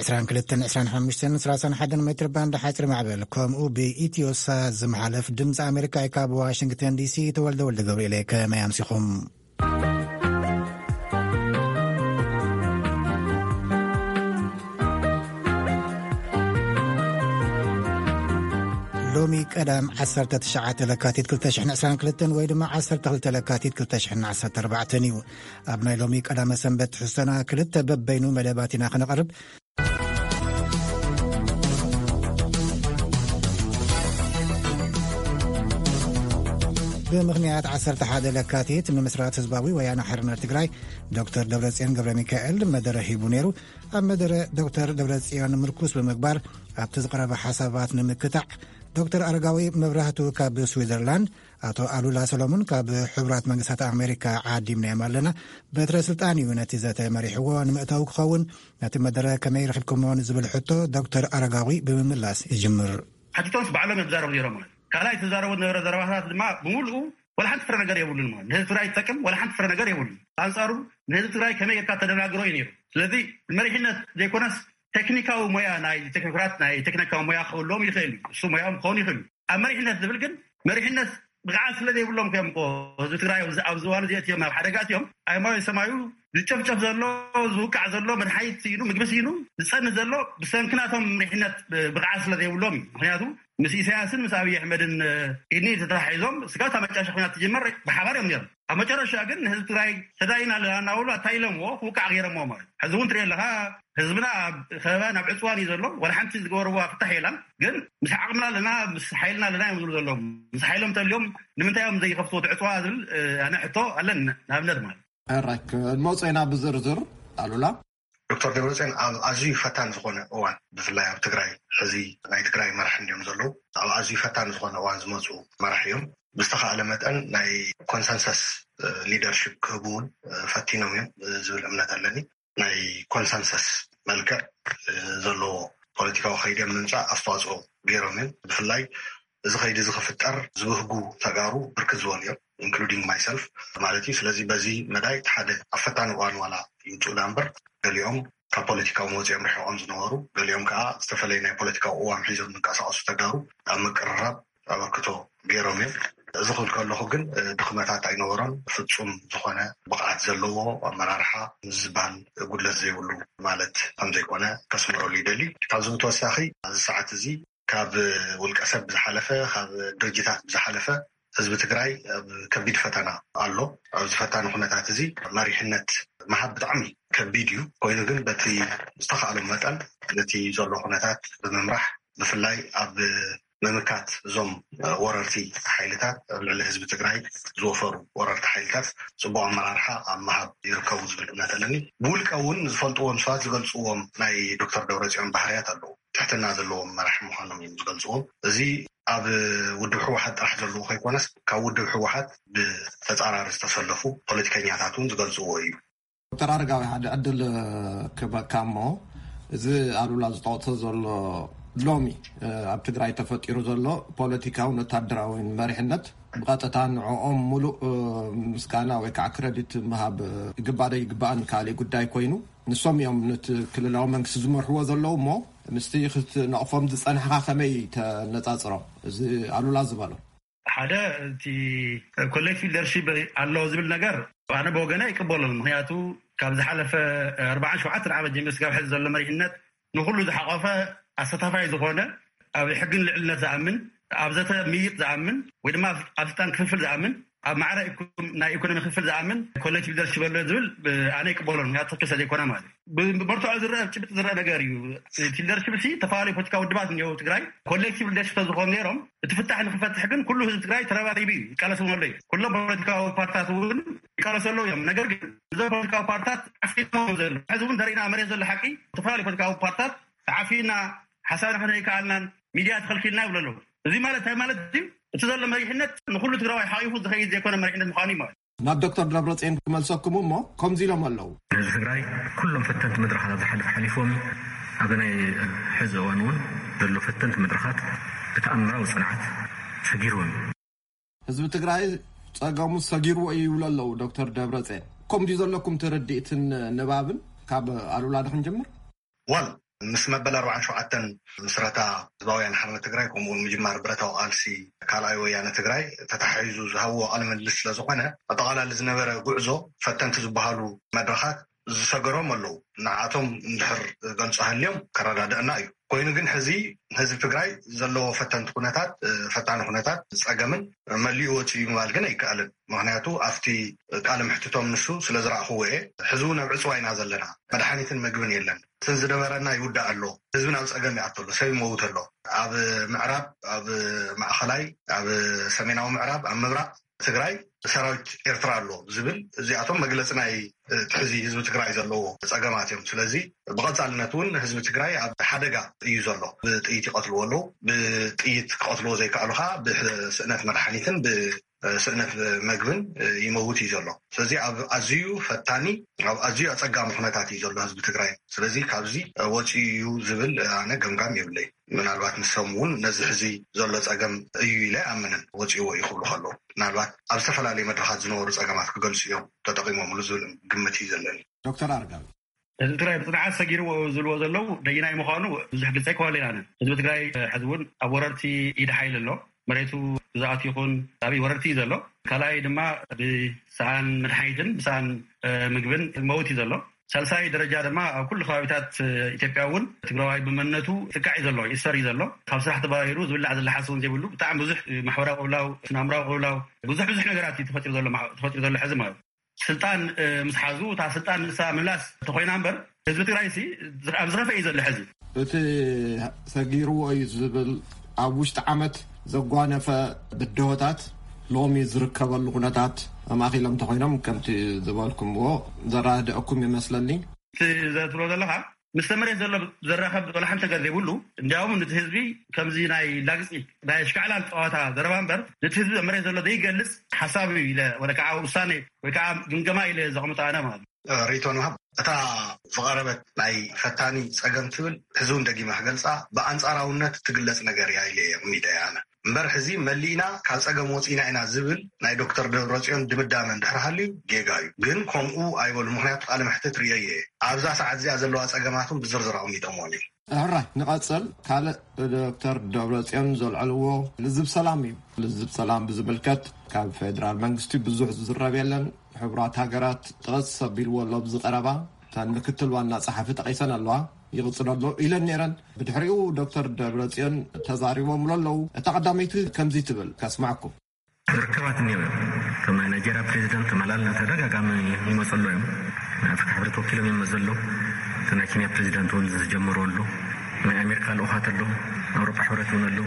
ዕስራን ክልተን ዕስራን ሓሙሽተን ሰላሳን ሓደን ሜትር ባንድ ሓፂር ማዕበል፣ ከምኡ ብኢትዮሳ ዝመሓለፍ ድምፂ ኣሜሪካ እዩ። ካብ ዋሽንግተን ዲሲ ተወልደ ወልደ ገብርኤል። ከመይ ኣምሲኹም? ሎሚ ቀዳም ዓሰርተ ትሽዓተ ለካቲት ክልተ ሽሕን ዕስራን ክልተን ወይ ድማ ዓሰርተ ክልተ ለካቲት ክልተ ሽሕን ዓሰርተ ኣርባዕተን እዩ። ኣብ ናይ ሎሚ ቀዳመ ሰንበት ትሕዝቶና ክልተ በበይኑ መደባት ኢና ክነቕርብ። ብምኽንያት ዓሰርተ ሓደ ለካቲት፣ ምምስራት ህዝባዊ ወያነ ሓርነት ትግራይ፣ ዶክተር ደብረጽዮን ገብረ ሚካኤል መደረ ሂቡ ነይሩ። ኣብ መደረ ዶክተር ደብረጽዮን ምርኩስ ብምግባር፣ ኣብቲ ዝቐረበ ሓሳባት ንምክታዕ፣ ዶክተር ኣረጋዊ መብራህቱ ካብ ስዊዘርላንድ፣ ኣቶ ኣሉላ ሰሎሙን ካብ ሕቡራት መንግስታት ኣሜሪካ ዓዲምናዮም ኣለና። በትረ ስልጣን እዩ ነቲ ዘተ መሪሕዎ። ንምእታው ክኸውን፣ ነቲ መደረ ከመይ ረኺብኩሞ ንዝብል ሕቶ፣ ዶክተር ኣረጋዊ ብምምላስ ይጅምር። ሓቲቶምስ ባዕሎም እዮም ዝዛረቡ ነይሮም ማለት። ካልኣይ፣ እቲ ዝዛረቡ ዝነበረ ዘረባታት ድማ ብምሉኡ ዋላ ሓንቲ ፍረ ነገር የብሉን ማለት። ንህዝቢ ትግራይ ዝጠቅም ዋላ ሓንቲ ፍረ ነገር የብሉን። ኣንጻሩ፣ ንህዝቢ ትግራይ ከመይ ጌርካ ተደናግሮ እዩ ነይሩ። ስለዚ፣ መሪሕነት ዘይኮነስ፣ ቴክኒካዊ ሞያ ናይ ቴክኖክራት፣ ናይ ቴክኒካዊ ሞያ ክህልዎም ይኽእል እዩ። እሱ ሞያኦም ክኸውን ይኽእል እዩ። ኣብ መሪሕነት ዝብል ግን፣ መሪሕነት ብቕዓት ስለ ዘይብሎም እዮም እኮ ህዝቢ ትግራይ ኣብዚ፣ ኣብዚ እዋን እዚ ኣትዮም ናብ ሓደጋ ኣትዮም። ኣየማዊ ሰማዩ ዝጨፍጨፍ ዘሎ፣ ዝውቃዕ ዘሎ፣ መድሓኒት ስኢኑ፣ ምግቢ ስኢኑ፣ ዝጸንህ ዘሎ ብሰንኪ ናቶም መሪሕነት ብቕዓት ስለ ዘይብሎም እዩ። ምኽንያቱ፣ ምስ ኢሳያስን ምስ ኣብይ ኣሕመድን፣ እ፣ ኢድኒ ተተሓሒዞም፣ ስጋብ እታ መጨረሻ ኲናት ትጅመር ብሓባር እዮም ነይሮም። ኣብ መጨረሻ ግን ንህዝቢ ትግራይ ተዳይና ኣለና እናበሉ ኣታይለምዎ፣ ክውቃዕ ገይሮምዎ ማለት እዩ። ሕዚ እውን ትሪኦ ኣለኻ፣ ህዝብና ኣብ ከበባ፣ ናብ ዕፅዋን እዩ ዘሎ። ዋላ ሓንቲ ዝገበርዋ ፍታሕ የላን። ግን ምስ ዓቕምና ኣለና፣ ምስ ሓይልና ኣለና እዮም ዝብሉ ዘለዉ። ምስ ሓይሎም ተልዮም ንምንታይ እዮም ዘይኸፍትዎ እቲ ዕፅዋ ዝብል፣ እ፣ ኣነ ሕቶ ኣለኒ፣ ንኣብነት ማለት። ሕራይ፣ ክንመጾ ኢና ብዝርዝር። ኣሉላ። ዶክተር ደብረጽዮን ኣብ ኣዝዩ ፈታኒ ዝኾነ እዋን፣ ብፍላይ ኣብ ትግራይ፣ ሕዚ ናይ ትግራይ መራሒ እንዲዮም ዘለዉ፣ ኣብ ኣዝዩ ፈታኒ ዝኾነ እዋን ዝመፁ መራሒ እዮም። ብዝተኻእለ መጠን ናይ ኮንሰንሰስ፣ እ፣ ሊደርሺፕ ክህቡ እውን፣ እ፣ ፈቲኖም እዮም፣ እ፣ ዝብል እምነት ኣለኒ። ናይ ኮንሰንሰስ መልክዕ፣ እ፣ ዘለዎ ፖለቲካዊ ከይዲ ኣብ ምምፃእ ኣስተዋፅኦ ገይሮም እዮም። ብፍላይ እዚ ከይዲ እዚ ክፍጠር ዝብህጉ ተጋሩ ብርክት ዝበሉ እዮም፣ ኢንክሉዲንግ ማይሰልፍ ማለት እዩ። ስለዚ በዚ መዳይ እቲ ሓደ ኣብ ፈታኒ እዋን ዋላ ይውፅኡ ዳ እምበር፣ ገሊኦም ካብ ፖለቲካዊ መወፂኦም ርሒቖም ዝነበሩ፣ ገሊኦም ከዓ ዝተፈላለየ ናይ ፖለቲካዊ ቅዋም ሒዞም ዝንቀሳቐሱ ተጋሩ ኣብ ምቅርራብ ኣበርክቶ ገይሮም እዮም። እዚ ክብል ከለኹ ግን፣ እ፣ ድኽመታት ኣይነበሮን። ፍጹም ዝኾነ ብቕዓት ዘለዎ ኣመራርሓ ምስ ዝበሃል ጉድለት ዘይብሉ ማለት ከም ዘይኮነ ከስምረሉ ይደሊ። ካብዚ ብተወሳኺ፣ ኣብዚ ሰዓት እዚ ካብ ውልቀ ሰብ ብዝሓለፈ፣ ካብ ድርጅታት ብዝሓለፈ፣ ህዝቢ ትግራይ ኣብ ከቢድ ፈተና ኣሎ። ኣብዚ ፈታኒ ኩነታት እዚ መሪሕነት ምሃብ ብጣዕሚ ከቢድ እዩ። ኮይኑ ግን በቲ ዝተኻእሎ መጠን ነቲ ዘሎ ኩነታት ብምምራሕ፣ ብፍላይ ኣብ ምምካት እዞም ወረርቲ ሓይልታት፣ ኣብ ልዕሊ ህዝቢ ትግራይ ዝወፈሩ ወረርቲ ሓይልታት፣ ጽቡቕ ኣመራርሓ ኣብ ምሃብ ይርከቡ ዝብል እምነት ኣለኒ። ብውልቀ እውን ዝፈልጥዎም ሰባት ዝገልጽዎም ናይ ዶክተር ደብረጽዮን ባህርያት ኣለዉ። ትሕትና ዘለዎም መራሒ ምዃኖም እዮም ዝገልጽዎም። እዚ ኣብ ውድብ ህወሓት ጥራሕ ዘለዎ ከይኮነስ፣ ካብ ውድብ ህወሓት ብተጻራሪ ዝተሰለፉ ፖለቲከኛታት እውን ዝገልጽዎ እዩ። ዶክተር ኣረጋዊ፣ ሓደ ዕድል ክህበካ እሞ፣ እዚ ኣሉላ ዝጠቕሶ ዘሎ ሎሚ፣ እ፣ ኣብ ትግራይ ተፈጢሩ ዘሎ ፖለቲካውን ወታደራውን መሪሕነት፣ ብቐጥታ ንዕኦም ሙሉእ፣ እ፣ ምስጋና ወይ ከዓ ክረዲት ምሃብ፣ እ፣ ይግባእ ዶ ይግባእን ካልእ ጉዳይ ኮይኑ፣ ንሶም እዮም ነቲ ክልላዊ መንግስቲ ዝመርሕዎ ዘለዉ እሞ፣ ምስቲ ክትነቕፎም ዝጸናሕካ ከመይ ተነጻጽሮ? እዚ ኣሉላ ዝበሎ። ሓደ፣ እቲ ኮሌክቲቭ ሊደርሺፕ ኣሎ ዝብል ነገር ኣነ ብወገነ ኣይቅበሎን። ምኽንያቱ፣ ካብ ዝሓለፈ ኣርባዓን ሸውዓተን ዓመት ጀሚሩ ስጋብ ሕዚ ዘሎ መሪሕነት ንኹሉ ዝሓቆፈ፣ ኣሳታፋይ ዝኾነ፣ ኣብ ሕግን ልዕልነት ዝኣምን፣ ኣብ ዘተ ምይይጥ ዝኣምን፣ ወይ ድማ ኣብ ስልጣን ክፍፍል ዝኣምን፣ ኣብ ማዕረ ኢኮ-፣ ናይ ኢኮኖሚ ክፍል ዝኣምን ኮሌክቲቭ ሊደርሺፕ ኣሎ ዝብል፣ ብ-፣ ኣነ ኣይቅበሎን። ምኽንያቱ ትኽክል ስለ ዘይኮነ ማለት እዩ። ብ-፣ ብመርትዖ ዝረአ፣ ብጭብጢ ዝረአ ነገር እዩ። እቲ ሊደርሺፕ ሲ፣ ዝተፈላለዩ ፖለቲካዊ ውድባት እኒአው ትግራይ ኮሌክቲቭ ሊደርሺፕ ተዝኾኑ ነይሮም፣ እቲ ፍታሕ ንክፈትሕ ግን ኩሉ ህዝቢ ትግራይ ተረባሪቡ እዩ፣ ይቃለስ እውን ኣሎ እዩ። ኩሎም ፖለቲካዊ ፓርትታት እውን ይቃለሱ ኣለዉ እዮም። ነገር ግን እዞም ፖለቲካዊ ፓርትታት ዓፊኖም ዘለዉ፣ ሕዚ እውን ተሪእና መሬት ዘሎ ሓቂ፣ ዝተፈላለዩ ፖለቲካዊ ፓርትታት ተዓፊና፣ ሓሳብና ክነይ ከኣልናን፣ ሚድያ ተኸልኪልና ይብሉ ኣለዉ። እዚ ማለት እንታይ ማለት እዩ? እቲ ዘሎ መሪሕነት ንኹሉ ትግራዋይ ሓቂፉ ዝኸይድ ዘይኮነ መሪሕነት ምዃኑ እዩ ማለት። ናብ ዶክተር ደብረጽዮን ክመልሰኩም እሞ፣ ከምዚ ኢሎም ኣለዉ። ንህዝቢ ትግራይ ኩሎም ፈተንቲ መድረኻት ኣብ ዝሓለፈ ሓሊፍዎም፣ ኣብ ናይ ሕዚ እዋን እውን ዘሎ ፈተንቲ መድረኻት ብተኣምራዊ ጽንዓት ሰጊርዎም። ህዝቢ ትግራይ ጸገሙ ሰጊርዎ እዩ ይብሉ ኣለዉ ዶክተር ደብረጽዮን። ከምዚ ዘለኩም ትርድኢትን ንባብን ካብ ኣሉላ ዶ ክንጅምር? ዋል፣ ምስ መበል ኣርባዓን ሸውዓተን ምስረታ ህዝባውያን ሓርነት ትግራይ፣ ከምኡውን ምጅማር ብረታዊ ቃልሲ ካልኣይ ወያነ ትግራይ ተታሒዙ ዝሃብዎ ቃለ ምልልስ ስለ ዝኾነ፣ ኣጠቓላሊ ዝነበረ ጉዕዞ ፈተንቲ ዝበሃሉ መድረኻት ዝሰገሮም ኣለዉ። ንዓቶም እንድሕር ገልጾ ሃልዮም ከረዳድአና እዩ። ኮይኑ ግን ሕዚ ህዝቢ ትግራይ ዘለዎ ፈተንቲ ኩነታት፣ ፈታኒ ኩነታት፣ ጸገምን መሊኡ ወፂኡ ምባል ግን ኣይከኣልን። ምኽንያቱ ኣብቲ ቃለ ምሕትቶም ንሱ ስለ ዝረኣኽዎ እየ። ሕዚ እውን ኣብ ዕፅዋ ኢና ዘለና። መድሓኒትን ምግብን የለን። ስን ዝነበረና ይውዳእ ኣሎ። ህዝብን ኣብ ፀገም ይኣቶ ኣሎ። ሰብ ይመውት ኣሎ። ኣብ ምዕራብ፣ ኣብ ማእኸላይ፣ ኣብ ሰሜናዊ ምዕራብ፣ ኣብ ምብራቕ ትግራይ ሰራዊት ኤርትራ ኣሎ ዝብል፣ እዚኣቶም መግለፂ ናይ እቲ ሕዚ ህዝቢ ትግራይ ዘለዎ ፀገማት እዮም። ስለዚ ብቐፃልነት እውን ህዝቢ ትግራይ ኣብ ሓደጋ እዩ ዘሎ። ብጥይት ይቐትልዎ ኣለዉ። ብጥይት ክቐትልዎ ዘይከኣሉ ከዓ ብስእነት መድሓኒትን ብስእነት መግብን ይመውት እዩ ዘሎ። ስለዚ ኣብ ኣዝዩ ፈታኒ፣ ኣብ ኣዝዩ ኣፀጋሚ ኩነታት እዩ ዘሎ ህዝቢ ትግራይ። ስለዚ ካብዚ ወፂኡ እዩ ዝብል ኣነ ገምጋም የብለይ። ምናልባት ንሶም እውን ነዚ ሕዚ ዘሎ ፀገም እዩ ኢለ ኣምንን። ወፂዎ እዩ ክብሉ ከለዉ ምናልባት ኣብ ዝተፈላለዩ መድረኻት ዝነበሩ ፀገማት ክገልፁ እዮም ተጠቂሞምሉ ዝብል ግምት እዩ ዘለኒ። ዶክተር ኣርጋዊ፣ ህዝቢ ትግራይ ብፅንዓት ሰጊርዎ ዝብልዎ ዘለዉ ደይናይ ምዃኑ ብዙሕ ግልፂ ኣይኮነን ኢና። ህዝቢ ትግራይ ሕዚ እውን ኣብ ወረርቲ ኢድ ሓይሊ ኣሎ። መሬቱ ግዛኣት ይኹን ኣብይ ወረርቲ እዩ ዘሎ። ካልኣይ ድማ ብሰኣን መድሓኒትን ብሰኣን ምግብን መውት እዩ ዘሎ። ሳልሳይ ደረጃ ድማ ኣብ ኩሉ ከባቢታት ኢትዮጵያ እውን ትግራዋይ ብመንነቱ ጥቃዕ እዩ ዘሎ፣ ይእሰር እዩ ዘሎ። ካብ ስራሕ ተባሂሩ ዝብላዕ ዝለሓስ እውን ዘይብሉ ብጣዕሚ ብዙሕ ማሕበራዊ ቅብላው፣ ስነ ኣእምራዊ ቅብላው፣ ብዙሕ ብዙሕ ነገራት እዩ ተፈጢሩ ዘሎ፣ ተፈጢሩ ዘሎ ሕዚ ማለት እዩ። ስልጣን ምስ ሓዙ እታ ስልጣን ንሳ ምላስ ተኮይና እምበር ህዝቢ ትግራይ ሲ ኣብ ዝኸፈ እዩ ዘሎ ሕዚ። እቲ ሰጊርዎ እዩ ዝብል ኣብ ውሽጢ ዓመት ዘጓነፈ ብድሆታት ሎሚ ዝርከበሉ ኩነታት ኣማኺሎም እንተኮይኖም ከምቲ ዝበልኩምዎ ዘረዳእኩም ይመስለኒ። እቲ ዘትብሎ ዘለኻ ምስ መሬት ዘሎ ዘራኸብ ወላ ሓንቲ ነገር ዘይብሉ፣ እንዲያውም ነቲ ህዝቢ ከምዚ ናይ ላግፂ ናይ ኣሽካዕላል ፀዋታ ዘረባ እምበር ነቲ ህዝቢ ኣብ መሬት ዘሎ ዘይገልፅ ሓሳብ እዩ ኢለ ወላ ከዓ ውሳኔ ወይ ከዓ ግምገማ ኢለ ዘቕምጦ ኣነ ማለት እዩ። ሪኢቶ ንሃብ። እታ ዝቐረበት ናይ ፈታኒ ፀገም ትብል ሕዚ እውን ደጊመ ክገልፃ ብኣንፃራውነት ትግለፅ ነገር እያ ኢለ እየ ኣቕሚጠ ኣነ። እምበር ሕዚ መሊእና ካብ ፀገም ወፂእና ኢና ዝብል ናይ ዶክተር ደብረፅዮን ድምዳመ እንድሕር ሃልዩ ጌጋ እዩ። ግን ከምኡ ኣይበሉ። ምኽንያቱ ቃለ መሕትት ርእየ እየ። ኣብዛ ሰዓት እዚኣ ዘለዋ ፀገማት እውን ብዝርዝር ኣቕሚጦምዎም እዮም። ሕራይ ንቐፅል። ካልእ ዶክተር ደብረፅዮን ዘልዐልዎ ልዝብ ሰላም እዩ። ልዝብ ሰላም ብዝምልከት ካብ ፌደራል መንግስቲ ብዙሕ ዝዝረብ የለን። ሕቡራት ሃገራት ጥቕስ ኣቢልዎ ኣሎ ኣብዚ ቀረባ። እተን ምክትል ዋና ጸሓፊ ጠቒሰን ኣለዋ። ይቕጽል ኣሎ ኢለን ነይረን። ብድሕሪኡ ዶክተር ደብረጽዮን ተዛሪቦምሉ ኣለዉ። እታ ቀዳመይቲ ከምዚ ትብል ከስማዕኩም። ርክባት እኒኦ እዮም። ከም ናይ ናይጄርያ ፕሬዚደንት ተመላል ተደጋጋሚ ይመፁ ኣለዉ እዮም። ናይ ኣፍሪካ ሕብረት ወኪሎም እዮም ዘለዉ። እቲ ናይ ኬንያ ፕሬዚደንት እውን ዝጀመሩ ኣለዉ። ናይ ኣሜሪካ ልኡኻት ኣለዉ። ኣውሮፓ ሕብረት እውን ኣለዉ።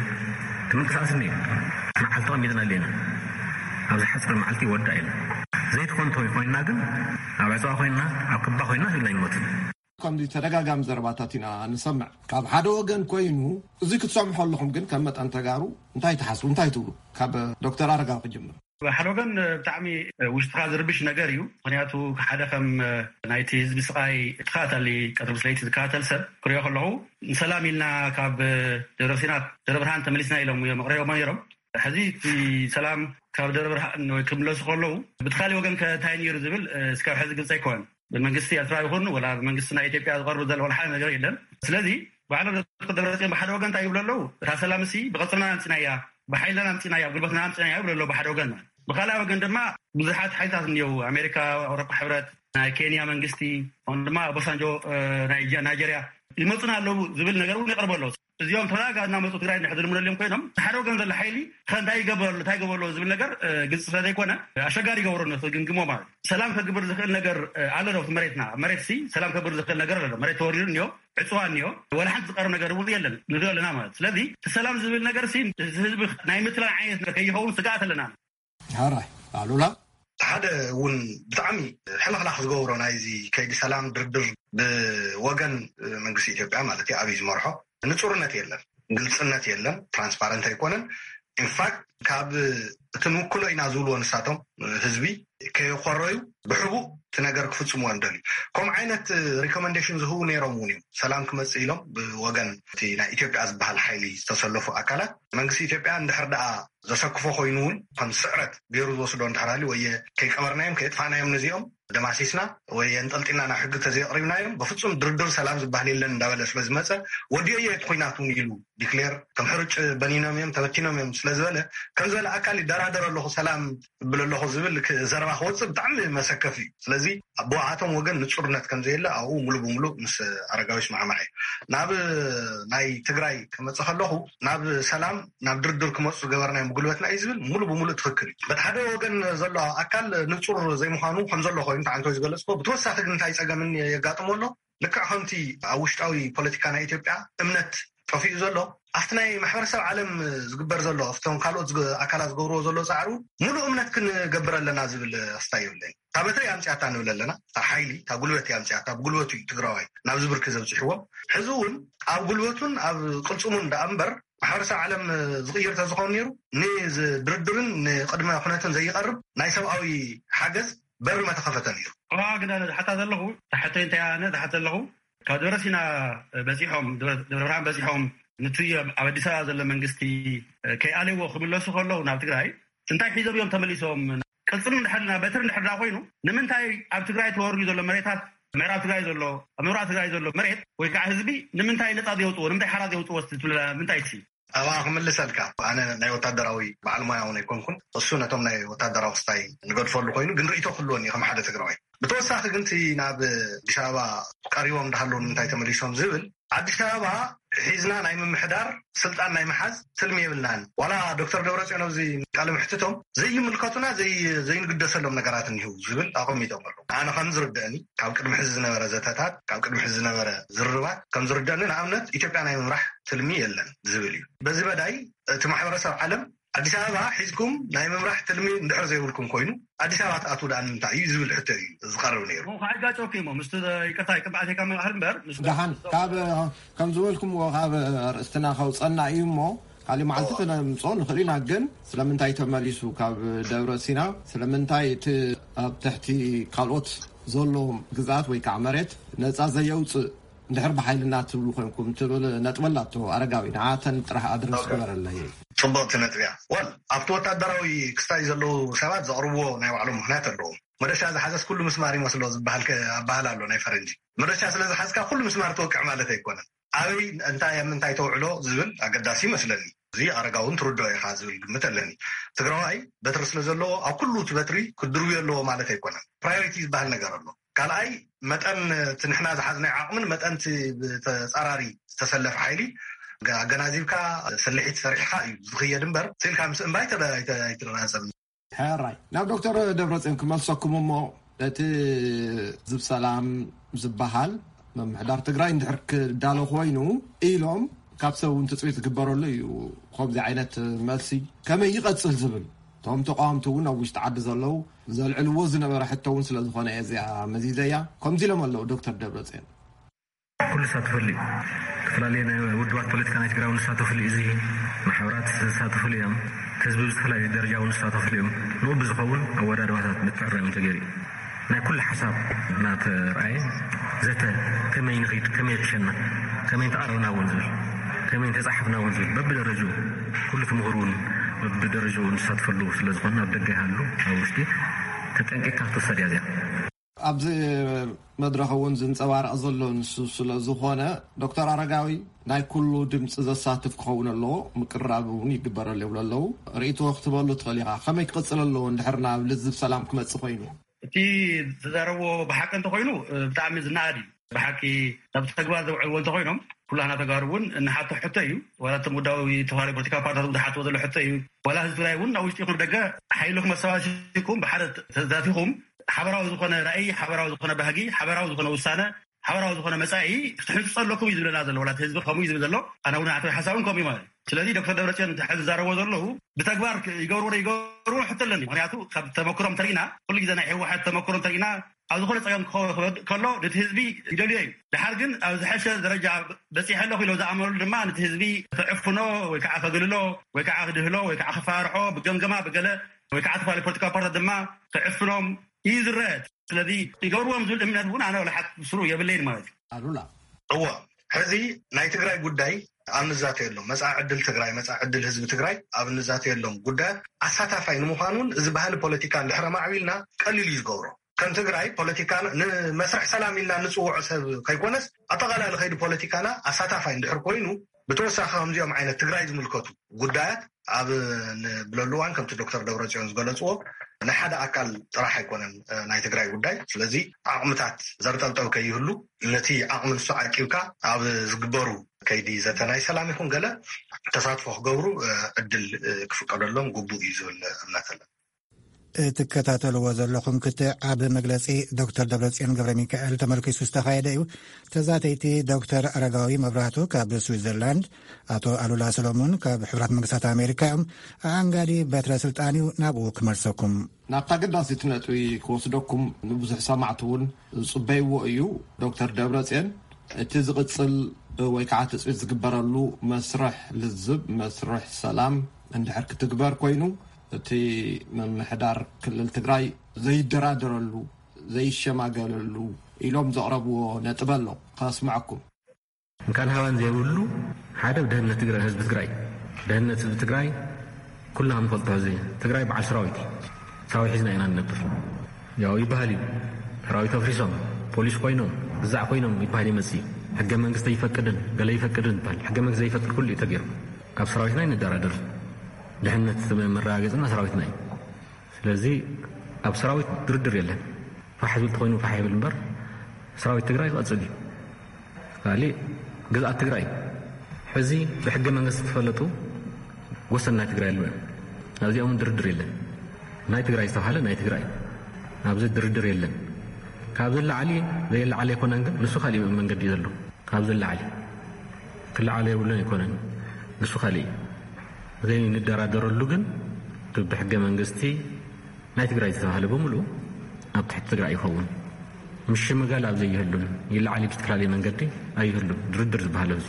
እቲ ምንቅስቃስ እኒኦ እዩ። መዓልቲ ቀሚጥና ኣለና። ኣብዚ ሓፂር መዓልቲ ይወዳእ ኢሉ ዘይትኾን እንተወይ ኮይንና ግን ኣብ ዕፅዋ ኮይንና ኣብ ክባ ኮይንና ህዝብና ይሞት። ከምዚ ተደጋጋሚ ዘረባታት ኢና ንሰምዕ ካብ ሓደ ወገን ኮይኑ። እዚ ክትሰምሑ ኣለኹም ግን ከም መጠን ተጋሩ እንታይ ትሓስቡ፣ እንታይ ትብሉ? ካብ ዶክተር ኣረጋዊ ክጅምር። ሓደ ወገን ብጣዕሚ ውሽጥኻ ዝርብሽ ነገር እዩ። ምክንያቱ ሓደ ከም ናይቲ ህዝቢ ስቃይ ትከታተሊ ቀትሪ ምስ ለይቲ ዝከታተል ሰብ ክሪኦ ከለኹ ንሰላም ኢልና ካብ ደብረ ሲና ደብረ ብርሃን ተመሊስና ኢሎም እዮም ኣቕሪቦሞ ነይሮም። ሕዚ እቲ ሰላም ካብ ደብረ ብርሃን ወይ ክምለሱ ከለዉ ብቲ ካልእ ወገን ከ እንታይ ነይሩ ዝብል እስካብ ሕዚ ግልፂ ኣይኮነን። ብመንግስቲ ኤርትራ ይኹን ወላ ብመንግስቲ ናይ ኢትዮጵያ ዝቐርብ ዘሎ ወላ ሓደ ነገር የለን። ስለዚ ባዕሎም ዶክተር ደብረፅዮን ብሓደ ወገን እንታይ ይብሉ ኣለዉ? እታ ሰላም እሲ ብቐፅርና ኣምፂናያ፣ ብሓይልና ኣምፂናያ፣ ብጉልበትና ኣምፂናያ ይብሉ ኣለዉ ብሓደ ወገን ማለት። ብካልኣይ ወገን ድማ ብዙሓት ሓይልታት እኒአው፣ ኣሜሪካ፣ ኣውሮፓ ሕብረት፣ ናይ ኬንያ መንግስቲ፣ ከምኡ ድማ ኦባሳንጆ ናይ ናይጀርያ ይመፁና ኣለዉ ዝብል ነገር እውን ይቐርቡ ኣለዉ። እዚኦም ተረጋጋ እናመፁ ትግራይ እንድሕር ዝልምደልዮም ኮይኖም፣ ሓደ ወገን ዘሎ ሓይሊ ከ እንታይ ይገብረሉ፣ እንታይ ይገብረሉ ዝብል ነገር ግልፂ ስለ ዘይኮነ ኣሸጋሪ ይገብሮ ነቲ ግምግሞ ማለት እዩ። ሰላም ከግብር ዝኽእል ነገር ኣሎ ዶ ኣብቲ መሬትና? ኣብ መሬት ሲ ሰላም ከግብር ዝኽእል ነገር ኣሎ ዶ? መሬት ተወሪሩ እኒኦ፣ ዕፅዋ እኒኦ፣ ወላ ሓንቲ ዝቀርብ ነገር እውን የለን፣ ንሪኦ ኣለና ማለት እዩ። ስለዚ እቲ ሰላም ዝብል ነገር ሲ ህዝቢ ናይ ምትላል ዓይነት ነገር ከይኸውን ስግኣት ኣለና። ሓራይ ኣሉላ። ሓደ እውን ብጣዕሚ ሕልኽላኽ ዝገብሮ ናይዚ ከይዲ ሰላም ድርድር ብወገን መንግስቲ ኢትዮጵያ ማለት እዩ፣ ኣብይ ዝመርሖ ንፁርነት የለን፣ ግልፅነት የለን፣ ትራንስፓረንት ኣይኮነን። ኢንፋክት ካብ እቲ ንውክሎ ኢና ዝብልዎ ንሳቶም ህዝቢ ከየኮረዩ ብሕቡእ እቲ ነገር ክፍጽምዎ እዮም ደልዩ። ከምኡ ዓይነት ሪኮመንዴሽን ዝህቡ ነይሮም እውን እዮም። ሰላም ክመጽእ ኢሎም ብወገን እቲ ናይ ኢትዮጵያ ዝበሃል ሓይሊ ዝተሰለፉ ኣካላት መንግስቲ ኢትዮጵያ እንድሕር ደኣ ዘሰክፎ ኮይኑ እውን ከም ስዕረት ገይሩ ዝወስዶ እንድሕር ሃልዩ ወይ ከይቀበርናዮም ከየጥፋእናዮም ነዚኦም ደማሲስና ወይ ኣንጠልጢልና ናብ ሕጊ ተዘየቕሪብናዮም በፍጹም ድርድር ሰላም ዝበሃል የለን እንዳበለ ስለ ዝመጸ ወዲኦዮ እቲ ኩናት እውን ኢሉ ዲክሌር ከም ሕርጭ በኒኖም እዮም ተበቲኖም እዮም ስለ ዝበለ ከም ዝበለ ኣካል ይደራደር ኣለኹ ሰላም እብል ኣለኹ ዝብል ክ- ዘረባ ክወፅእ ብጣዕሚ መሰከፍ እዩ። ስለዚ ብኣቶም ወገን ንፁርነት ከም ዘየለ ኣብኡ ሙሉ ብሙሉ ምስ ኣረጋዊ ይስማዕማዕ እዩ። ናብ ናይ ትግራይ ክመፅእ ከለኹ ናብ ሰላም ናብ ድርድር ክመፁ ዝገበርናዮም ብጉልበትና እዩ ዝብል ሙሉ ብሙሉ ትኽክል እዩ። በቲ ሓደ ወገን ዘሎ ኣካል ንፁር ዘይምዃኑ ከም ዘሎ ኮይኑ ተዓንቶ ዝገለፅኮ ብተወሳኺ ግን እንታይ ፀገምን የጋጥሞ ኣሎ ልክዕ ከምቲ ኣብ ውሽጣዊ ፖለቲካ ናይ ኢትዮጵያ እምነት ጠፊኡ ዘሎ ኣብቲ ናይ ማሕበረሰብ ዓለም ዝግበር ዘሎ ኣብቶም ካልኦት ዝገ- ኣካላት ዝገብርዎ ዘሎ ፃዕሪ እውን ሙሉእ እምነት ክንገብር ኣለና ዝብል ኣስታይ የብለይ። እታ በትሪ ኣምፅያታ ንብል ኣለና። እታ ሓይሊ እታ ጉልበት እያ ኣምፅያታ ብጉልበቱ እዩ ትግራዋይ ናብዚ ብርኪ ዘብፅሕዎም። ሕዚ እውን ኣብ ጉልበቱን ኣብ ቅልፅሙን ደኣ እምበር ማሕበረሰብ ዓለም ዝቕይር ተዝኸውን ነይሩ ንድርድርን ንቅድመ ኩነትን ዘይቐርብ ናይ ሰብኣዊ ሓገዝ በር መተኸፈተ ነይሩ። ኣዋ ግን ኣነ ዝሓታ ዘለኹ ታሕተይ እንታይ ኣነ ዝሓት ዘለኹ ካብ ደብረ ሲና በፂሖም ደብረ ብርሃን በፂሖም ንቲ ኣብ ኣዲስ ኣበባ ዘሎ መንግስቲ ከይኣለዎ ክምለሱ ከለዉ ናብ ትግራይ እንታይ ሒዞም እዮም ተመሊሶም? ቅልፅም እንድሕር ና በትር እንድሕር ዳ ኮይኑ ንምንታይ ኣብ ትግራይ ተወርዩ ዘሎ መሬታት ምዕራብ ትግራይ ዘሎ ኣብ ምብራቅ ትግራይ ዘሎ መሬት ወይ ከዓ ህዝቢ ንምንታይ ነፃ ዘውፅዎ ንምንታይ ሓራ ዘውፅዎ ትብለ ምንታይ ሲ ኣብኣ ክምልሰልካ ኣነ ናይ ወታደራዊ በዓል ሞያ እውን ኣይኮንኩን። እሱ ነቶም ናይ ወታደራዊ ክስታይ ንገድፈሉ ኮይኑ ግን ርእቶ ክህልወኒ ከም ሓደ ትግራዋይ። ብተወሳኺ ግን እቲ ናብ ኣዲስ ኣበባ ቀሪቦም እንዳሃለዉ ንምንታይ ተመሊሶም ዝብል ኣዲስ ኣበባ ሒዝና ናይ ምምሕዳር ስልጣን ናይ ምሓዝ ትልሚ የብልናን። ዋላ ዶክተር ደብረፅዮን ኣብዚ ቃለ ምሕትቶም ዘይምልከቱና ዘይንግደሰሎም ነገራት እኒህው ዝብል ኣቐሚጦም ኣለዉ። ኣነ ከም ዝርድአኒ ካብ ቅድሚ ሕዚ ዝነበረ ዘተታት ካብ ቅድሚ ሕዚ ዝነበረ ዝርርባት ከም ዝርድአኒ ንኣብነት ኢትዮጵያ ናይ ምምራሕ ትልሚ የለን ዝብል እዩ። በዚ መዳይ እቲ ማሕበረሰብ ዓለም ኣዲስ ኣበባ ሒዝኩም ናይ ምምራሕ ትልሚ እንድሕር ዘይብልኩም ኮይኑ ኣዲስ ኣበባ ትኣትዉ ደኣ ንምንታይ እዩ ዝብል ሕቶ እዩ ዝቐርብ ነይሩ። እሞ ከዓጋጨኩም እሞ ምስቲ ይቅርታ ይቅርታ ኣቴካ ምባህል እምበር ምስ ደሓን ካብ ከም ዝበልኩምዎ ካብ ርእስትና ከውፀና እዩ እሞ ካሊእ መዓልቲ ክነምፅኦ ንኽእል ኢና። ግን ስለምንታይ ተመሊሱ ካብ ደብረ ሲና ስለምንታይ እቲ ኣብ ትሕቲ ካልኦት ዘሎ ግዝኣት ወይ ከዓ መሬት ነፃ ዘየውፅእ እንድሕር ብሓይልና ትብሉ ኮይንኩም ትብል ነጥቢ ኣላቶ ኣረጋዊ ንዓተን ጥራሕ ኣድረስ ግበረለይ። ፅቡቕቲ ነጥቢ እያ። ወል ኣብቲ ወታደራዊ ክስታይ ዘለዉ ሰባት ዘቕርብዎ ናይ ባዕሎም ምኽንያት ኣለዎም። መረሻ ዝሓዘስ ኩሉ ምስማር ይመስሎ ዝበሃል ኣበሃል ኣሎ ናይ ፈረንጂ። መረሻ ስለ ዝሓዝካ ኩሉ ምስማር ትወቅዕ ማለት ኣይኮነን። ኣበይ እንታይ ኣብ ምንታይ ተውዕሎ ዝብል ኣገዳሲ ይመስለኒ። እዚ ኣረጋ እውን ትርድኦ ኢኻ ዝብል ግምት ኣለኒ። ትግራዋይ በትሪ ስለ ዘለዎ ኣብ ኩሉ እቲ በትሪ ክድርብዮ ኣለዎ ማለት ኣይኮነን። ፕራዮሪቲ ዝበሃል ነገር ኣሎ። ካልኣይ መጠን እቲ ንሕና ዝሓዝናዮ ዓቕምን መጠን እቲ ብተፃራሪ ዝተሰለፈ ሓይሊ ኣገናዚብካ ስልሒት ሰሪሕካ እዩ ዝኽየድ እምበር ስኢልካ ምስ እምባ ኣይተረጋፀምን። ሕራይ ናብ ዶክተር ደብረፅዮን ክመልሰኩም እሞ እቲ ዝብ ሰላም ዝበሃል ምምሕዳር ትግራይ እንድሕር ክዳሎ ኮይኑ ኢሎም ካብ ሰብ እውን ትፅቢት ዝግበረሉ እዩ። ከምዚ ዓይነት መልሲ ከመይ ይቐፅል ዝብል እቶም ተቃወምቲ እውን ኣብ ውሽጢ ዓዲ ዘለዉ ዘልዕልዎ ዝነበረ ሕቶ እውን ስለ ዝኾነ እየ እዚኣ መዚዘያ። ከምዚ ኢሎም ኣለዉ ዶክተር ደብረፅዮን። ኩሉ ዝሳተፈሉ እዩ። ዝተፈላለዩ ናይ ውድባት ፖለቲካ ናይ ትግራይ እውን ዝሳተፍሉ እዩ። እዚ ማሕበራት ዝሳተፍሉ እዮም። ህዝቢ ብዝተፈላለዩ ደረጃ እውን ዝሳተፍሉ እዮም። ንኡ ብዝኸውን ኣወዳድባታት ምትዕራዮም ተገይሩ እዩ። ናይ ኩሉ ሓሳብ እናተርኣየ ዘተ ከመይ ንኽይድ ከመይ ክሸና ከመይ እንተኣረብና እውን ዝብል ከመይ እንተፃሓፍና እውን ዝብል በብደረጅኡ ኩሉ ትምህር እውን በብደረጅኡ ንሳትፈሉ ስለ ዝኾነ ኣብ ደገ ይሃሉ ኣብ ውሽጢ ተጠንቂቕካ ክትወሰድ እያ እዚኣ። ኣብዚ መድረኽ እውን ዝንፀባረቕ ዘሎ ንሱ ስለ ዝኾነ ዶክተር ኣረጋዊ ናይ ኩሉ ድምፂ ዘሳትፍ ክኸውን ኣለዎ፣ ምቅርራብ እውን ይግበረሉ ይብሉ ኣለዉ። ርእይቶ ክትበሉ ትኽእል ኢኻ። ከመይ ክቕፅል ኣለዎ እንድሕር ናብ ልዝብ ሰላም ክመፅእ ኮይኑ? እቲ ዝዛረብዎ ብሓቂ እንተኮይኑ ብጣዕሚ ዝነኣድ እዩ። ብሓቂ ናብ ተግባር ዘውዕልዎ እንተኮይኖም ኩላና ተጋሩ እውን እንሓቶ ሕቶ እዩ። ዋላ እቶም ውዳዊ ተዋሪ ፖለቲካ ፓርቲታት ዝሓትዎ ዘሎ ሕቶ እዩ። ዋላ ህዝቢ ትግራይ እውን ናብ ውሽጢ ይኹን ደገ ሓይልኩም ኣሰባሲብኩም ብሓደ ተዛቲኹም ሓበራዊ ዝኾነ ራእይ፣ ሓበራዊ ዝኾነ ባህጊ፣ ሓበራዊ ዝኾነ ውሳነ፣ ሓበራዊ ዝኾነ መፃኢ ክትሕንፅፁ ኣለኩም እዩ ዝብለና ዘሎ። ዋላ እቲ ህዝቢ ከምኡ እዩ ዝብል ዘሎ። ኣነ እውን ኣተዊ ሓሳብ እውን ከምኡ እዩ ማለት እዩ። ስለዚ ዶክተር ደብረፅዮን ሕዚ ዝዛረብዎ ዘለዉ ብተግባር ይገብርዎ ዶ ይገብርዎ ሕቶ ኣለኒ። ምክንያቱ ካብ ተመክሮም ተሪእና ኩሉ ግዜ ናይ ህወሓት ተመክሮ እንተሪእና ኣብ ዝኾነ ጸገም ክኸ- ክወድቅ ከሎ ነቲ ህዝቢ ይደልዮ እዩ። ድሓር ግን ኣብ ዝሐሸ ደረጃ በጺሐ ኣለኹ ኢሎ ዝኣመነሉ ድማ ነቲ ህዝቢ ክዕፍኖ ወይ ከዓ ከግልሎ ወይ ከዓ ክድህሎ ወይ ከዓ ክፈራርሖ ብገምገማ ብገለ ወይ ከዓ ተፈላለዩ ፖለቲካዊ ፓርትታት ድማ ክዕፍኖም እዩ ዝረአ። ስለዚ ይገብርዎም ዝብል እምነት እውን ኣነ ወላ ሓንቲ ስሩ የብለይን ማለት እዩ። ኣሉላ። እዎ፣ ሕዚ ናይ ትግራይ ጉዳይ ኣብ ንዛተየሎም፣ መጻኢ ዕድል ትግራይ፣ መጻኢ ዕድል ህዝቢ ትግራይ ኣብ ንዛተየሎም ጉዳያት ኣሳታፋይ ንምዃን እውን እዚ ባህሊ ፖለቲካ እንድሕር ኣማዕቢልና ቀሊል እዩ ዝገብሮ። ከም ትግራይ ፖለቲካና ንመስርሕ ሰላም ኢልና ንጽውዖ ሰብ ከይኮነስ ኣጠቓላሊ ከይዲ ፖለቲካና ኣሳታፋይ እንድሕር ኮይኑ፣ ብተወሳኺ ከምዚኦም ዓይነት ትግራይ ዝምልከቱ ጉዳያት ኣብ ንብለሉ እዋን ከምቲ ዶክተር ደብረጽዮን ዝገለጽዎ ናይ ሓደ ኣካል ጥራሕ ኣይኮነን ናይ ትግራይ ጉዳይ። ስለዚ ዓቕምታት ዘርጠብጠብ ከይህሉ ነቲ ዓቕሚ ንሱ ዓቂብካ ኣብ ዝግበሩ ከይዲ ዘተ ናይ ሰላም ይኹን ገለ ተሳትፎ ክገብሩ ዕድል ክፍቀደሎም ግቡእ እዩ ዝብል እምነት ኣለና። እትከታተልዎ ዘለኹም ክትዕ ኣብ መግለጺ ዶክተር ደብረጽዮን ገብረ ሚካኤል ተመልኪሱ ዝተኻየደ እዩ። ተዛተይቲ ዶክተር ኣረጋዊ መብራህቱ ካብ ስዊዘርላንድ፣ ኣቶ ኣሉላ ሰሎሞን ካብ ሕቡራት መንግስታት ኣሜሪካ እዮም። ኣኣንጋዲ በትረ ስልጣን እዩ ናብኡ ክመልሰኩም። ናብታ ኣገዳሲት ነጥቢ ክወስደኩም ንብዙሕ ሰማዕቲ እውን ዝጽበይዎ እዩ። ዶክተር ደብረጽዮን፣ እቲ ዝቕጽል ወይ ከዓ ትጽቢት ዝግበረሉ መስርሕ ልዝብ፣ መስርሕ ሰላም እንድሕር ክትግበር ኮይኑ፣ እቲ ምምሕዳር ክልል ትግራይ ዘይደራደረሉ፣ ዘይሸማገለሉ ኢሎም ዘቕረብዎ ነጥቢ ኣሎ። ከስምዐኩም። እንካን ሃባን ዘይብሉ ሓደ ደህንነት ትግራይ፣ ህዝቢ ትግራይ፣ ደህንነት ህዝቢ ትግራይ ኩልና ንፈልጦ። እዚ ትግራይ በዓል ሰራዊት እዩ። ሰራዊት ሒዝና ኢና ንነብር። ያው ይበሃል እዩ። ሰራዊት ኣፍሪሶም ፖሊስ ኮይኖም ግዛዕ ኮይኖም ይበሃል ይመጽእ እዩ። ሕገ መንግስቲ ይፈቅድን ገለ ይፈቅድን ይበሃል። ሕገ መንግስቲ ዘይፈቅድ ኩሉ እዩ ተገይሩ። ካብ ሰራዊትና ይንደራደር። ድሕነት መረጋገጽና ሰራዊትና እዩ። ስለዚ ኣብ ሰራዊት ድርድር የለን። ፋሕ ዝብል ተኮይኑ ፋሕ ይብል እምበር ሰራዊት ትግራይ ክቐጽል እዩ። ካሊእ ግዝኣት ትግራይ ሕዚ ብሕገ መንግስቲ ተፈለጡ ወሰን ናይ ትግራይ ኣለዉ እዮም። ኣብዚኦም ድርድር የለን። ናይ ትግራይ ዝተባሃለ ናይ ትግራይ ኣብዚ ድርድር የለን። ካብዚ ላዕሊ ዘየላዓለ ኣይኮነን፣ ግን ንሱ ካሊእ መንገዲ እዩ ዘሎ። ካብዚ ላዕሊ ክለዓሎ የብሉን ኣይኮነን፣ ንሱ ካሊእ እዩ። ዘይንደራደረሉ ግን ብሕገ መንግስቲ ናይ ትግራይ ዝተባሃለ ብምሉኡ ኣብ ትሕቲ ትግራይ ይኸውን። ምሽምጋል ኣብ ዘይህሉን ይለዓል ብዝተፈላለየ መንገዲ ኣይህሉን። ድርድር ዝበሃል ኣብዚ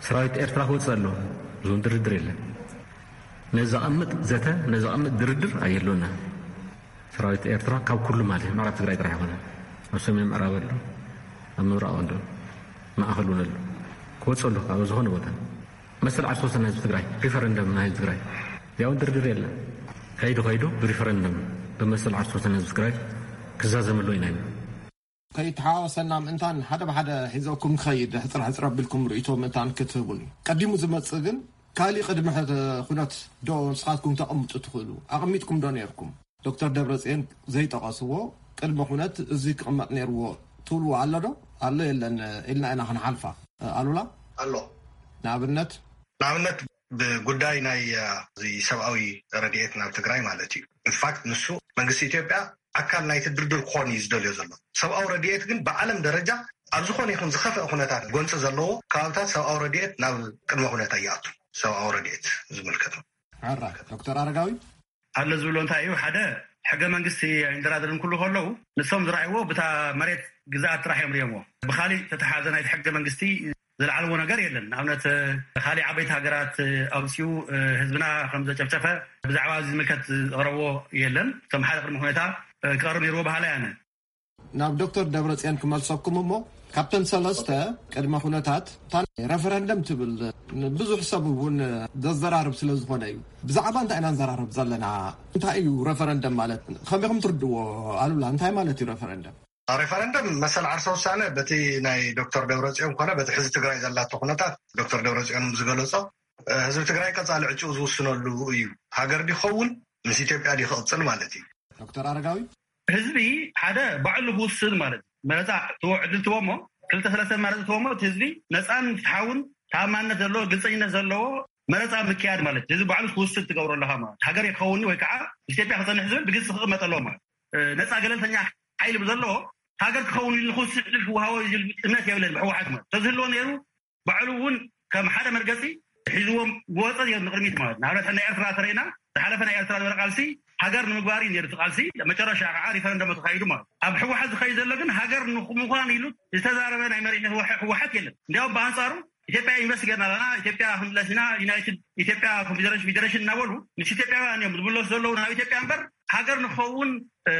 ሰራዊት ኤርትራ ክወፅእ ኣለዎ። እዞም ድርድር የለን። ነዚ ዘቐምጥ ዘተ፣ ነዚ ዘቐምጥ ድርድር ኣይህልወና። ሰራዊት ኤርትራ ካብ ኩሉ ማለት እዩ፣ ምዕራብ ትግራይ ጥራሕ ይኾነ። ኣብ ሰሜን ምዕራብ ኣሎ፣ ኣብ ምብራቕ ኣሎ፣ ማእኸል እውን ኣሎ። ክወፅእ ኣሎ ካብ ዝኾነ ቦታ። መሰል ዓርሶ ወሰን ህዝቢ ትግራይ፣ ሪፈረንደም ናይ ህዝቢ ትግራይ። ያውን ድርድር የለን። ከይዱ ከይዱ ብሪፈረንደም ብመሰል ዓርሶ ወሰን ህዝቢ ትግራይ ክዛዘመሉ ኢና ኢና። ከይተሓዋወሰና ምእንታን ሓደ ብሓደ ሒዘኩም ክኸይድ ሕፅር ሕፅር ኣቢልኩም ርእይቶ ምእንታን ክትህቡኒ። ቀዲሙ ዝመፅእ ግን ካሊእ ቅድሚ ሕተ- ኩነት ዶ ንስኻትኩም ተቐምጡ ትኽእሉ? ኣቐሚጥኩም ዶ ነይርኩም? ዶክተር ደብረፅዮን ዘይጠቐስዎ ቅድመ ኩነት እዚ ክቕመጥ ነይርዎ ትብልዎ ኣሎ ዶ? ኣሎ የለን ኢልና ኢና ክንሓልፋ። ኣሉላ? ኣሎ። ንኣብነት? ንኣብነት ብጉዳይ ናይ እዚ ሰብኣዊ ረድኤት ናብ ትግራይ ማለት እዩ። ኢንፋክት ንሱ መንግስቲ ኢትዮጵያ ኣካል ናይቲ ድርድር ክኾን እዩ ዝደልዮ ዘሎ። ሰብኣዊ ረድኤት ግን ብዓለም ደረጃ ኣብ ዝኾነ ይኹን ዝኸፍአ ኩነታት ጎንፂ ዘለዎ ከባብታት ሰብኣዊ ረድኤት ናብ ቅድመ ኩነት ኣይኣቱን። ሰብኣዊ ረድኤት ዝምልከት ሕራይ ዶክተር ኣረጋዊ? ኣሎ ዝብሎ እንታይ እዩ? ሓደ ሕገ መንግስቲ ኣይንደራደርን ክብሉ ከለዉ ንሶም ዝረኣይዎ ብታ መሬት ግዝኣት ጥራሕ እዮም ርእዮምዎ። ብኻሊእ ተተሓዘ ናይቲ ሕገ መንግስቲ ዝለዓልዎ ነገር የለን። ንኣብነት ካሊእ ዓበይቲ ሃገራት ኣውፅኡ ህዝብና ከም ዘጨፍጨፈ ብዛዕባ እዚ ዝምልከት ዘቕረብዎ የለን። እቶም ሓደ ቅድሚ ኩነታ ክቐርብ ነይርዎ በሃላይ ኣነ። ናብ ዶክተር ደብረፅዮን ክመልሰኩም እሞ ካብተን ሰለስተ ቅድመ ኩነታት እታ ረፈረንደም ትብል ብዙሕ ሰብ እውን ዘዘራርብ ስለ ዝኾነ እዩ። ብዛዕባ እንታይ ኢና ንዘራርብ ዘለና? እንታይ እዩ ረፈረንደም ማለት? ከመይ ከም ትርድዎ ኣሉላ እንታይ ማለት እዩ ረፈረንደም? ሬፈረንደም መሰል ዓርሰ ውሳነ በቲ ናይ ዶክተር ደብረፅዮን ኮነ በቲ ሕዚ ትግራይ ዘላቶ ኩነታት ዶክተር ደብረፅዮን ዝገለፆ ህዝቢ ትግራይ ቀፃሊ ዕጭኡ ዝውስነሉ እዩ። ሃገር ድኸውን ምስ ኢትዮጵያ ድዩ ክቕፅል ማለት እዩ። ዶክተር ኣረጋዊ ህዝቢ ሓደ ባዕሉ ክውስን ማለት እዩ። መረፃ ትዎ ዕድል ትቦ እሞ ክልተ ሰለስተ መረፂ ትቦ እሞ እቲ ህዝቢ ነፃን ፍትሓውን ተኣማንነት ዘለዎ ግልፀኝነት ዘለዎ መረፃ ምክያድ ማለት ህዝቢ ባዕሉ ክውስን ትገብሮ ኣለካ ማለት ሃገር ክኸውን ወይ ከዓ ኢትዮጵያ ክፀንሕ ዝብል ብግልፂ ክቕመጥ ኣለዎ ማለት ነፃ ገለልተኛ ሓይሊ ብዘለዎ ሃገር ክኸውን ኢሉ ንክውስን ዕድል ክወሃቦ እዩ ዝብል እምነት የብለን ብህወሓት ማለት ተዝህልዎ ነይሩ ባዕሉ እውን ከም ሓደ መርገፂ ሒዝዎም ወፀ እዮም ንቅድሚት ማለት ንኣብነት ናይ ኤርትራ ተረኢና ዝሓለፈ ናይ ኤርትራ ዝበረ ቃልሲ ሃገር ንምግባር እዩ ነይሩ እቲ ቃልሲ። መጨረሻ ከዓ ሪፈረንደም ተኻይዱ ማለት እዩ። ኣብ ህወሓት ዝኸይድ ዘሎ ግን ሃገር ንምዃን ኢሉ ዝተዛረበ ናይ መሪሕ ህወሓ- ህወሓት የለን። እንዲያውም ብኣንፃሩ ኢትዮጵያ ኢንቨስት ገርና ኣለና፣ ኢትዮጵያ ክንምለስ ኢና፣ ዩናይትድ ኢትዮጵያ ኮንፌደሬሽን ፌዴሬሽን እናበሉ ምስ ኢትዮጵያውያን እዮም ዝምለሱ ዘለዉ ናብ ኢትዮጵያ እምበር ሃገር ንክኸውን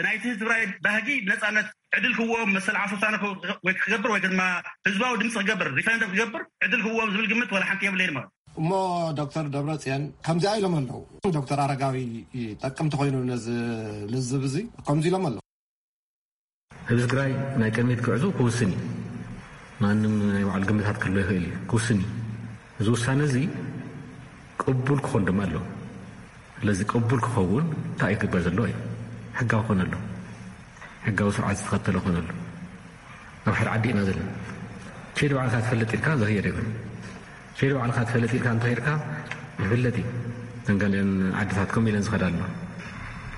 ናይቲ ህዝቢ ትግራይ ባህጊ ብነፃነት ዕድል ክህዎም መሰል ዓርሰ ውሳነ ወይ ክገብር ወይ ድማ ህዝባዊ ድምፂ ክገብር ሪፈረንደም ክገብር ዕድል ክህዎም ዝብል ግምት ዋላ ሓንቲ የብለይን ማለት እዩ። እሞ ዶክተር ደብረፅዮን ከምዚኣ ኢሎም ኣለዉ። ዶክተር ኣረጋዊ ጠቅምቲ ኮይኑ ነዚ ልዝብ እዚ ከምዚ ኢሎም ኣለዉ። ህዝቢ ትግራይ ናይ ቅድሚት ክዕዙ ክውስን እዩ። ማንም ናይ ባዕሉ ግምታት ክህልዎ ይኽእል እዩ፣ ክውስን እዩ። እዚ ውሳነ እዚ ቅቡል ክኾን ድማ ኣለዎ። ስለዚ ቅቡል ክኸውን እንታይ እዩ ክግበር ዘለዎ እዩ? ሕጋዊ ክኾን ኣለዎ። ሕጋዊ ስርዓት ዝተኸተለ ክኾን ኣለዎ። ኣብ ሓደ ዓዲ ኢና ዘለና። ኬድ ባዕልካ ትፈልጥ ኢልካ ዝኸየድ የብሉን። ኬድ ባዕልካ ትፈልጥ ኢልካ እንተኸይድካ ይፍለጥ እዩ። እተን ገሊአን ዓድታት ከምኡ ኢለን ዝኸዳ ኣለዋ።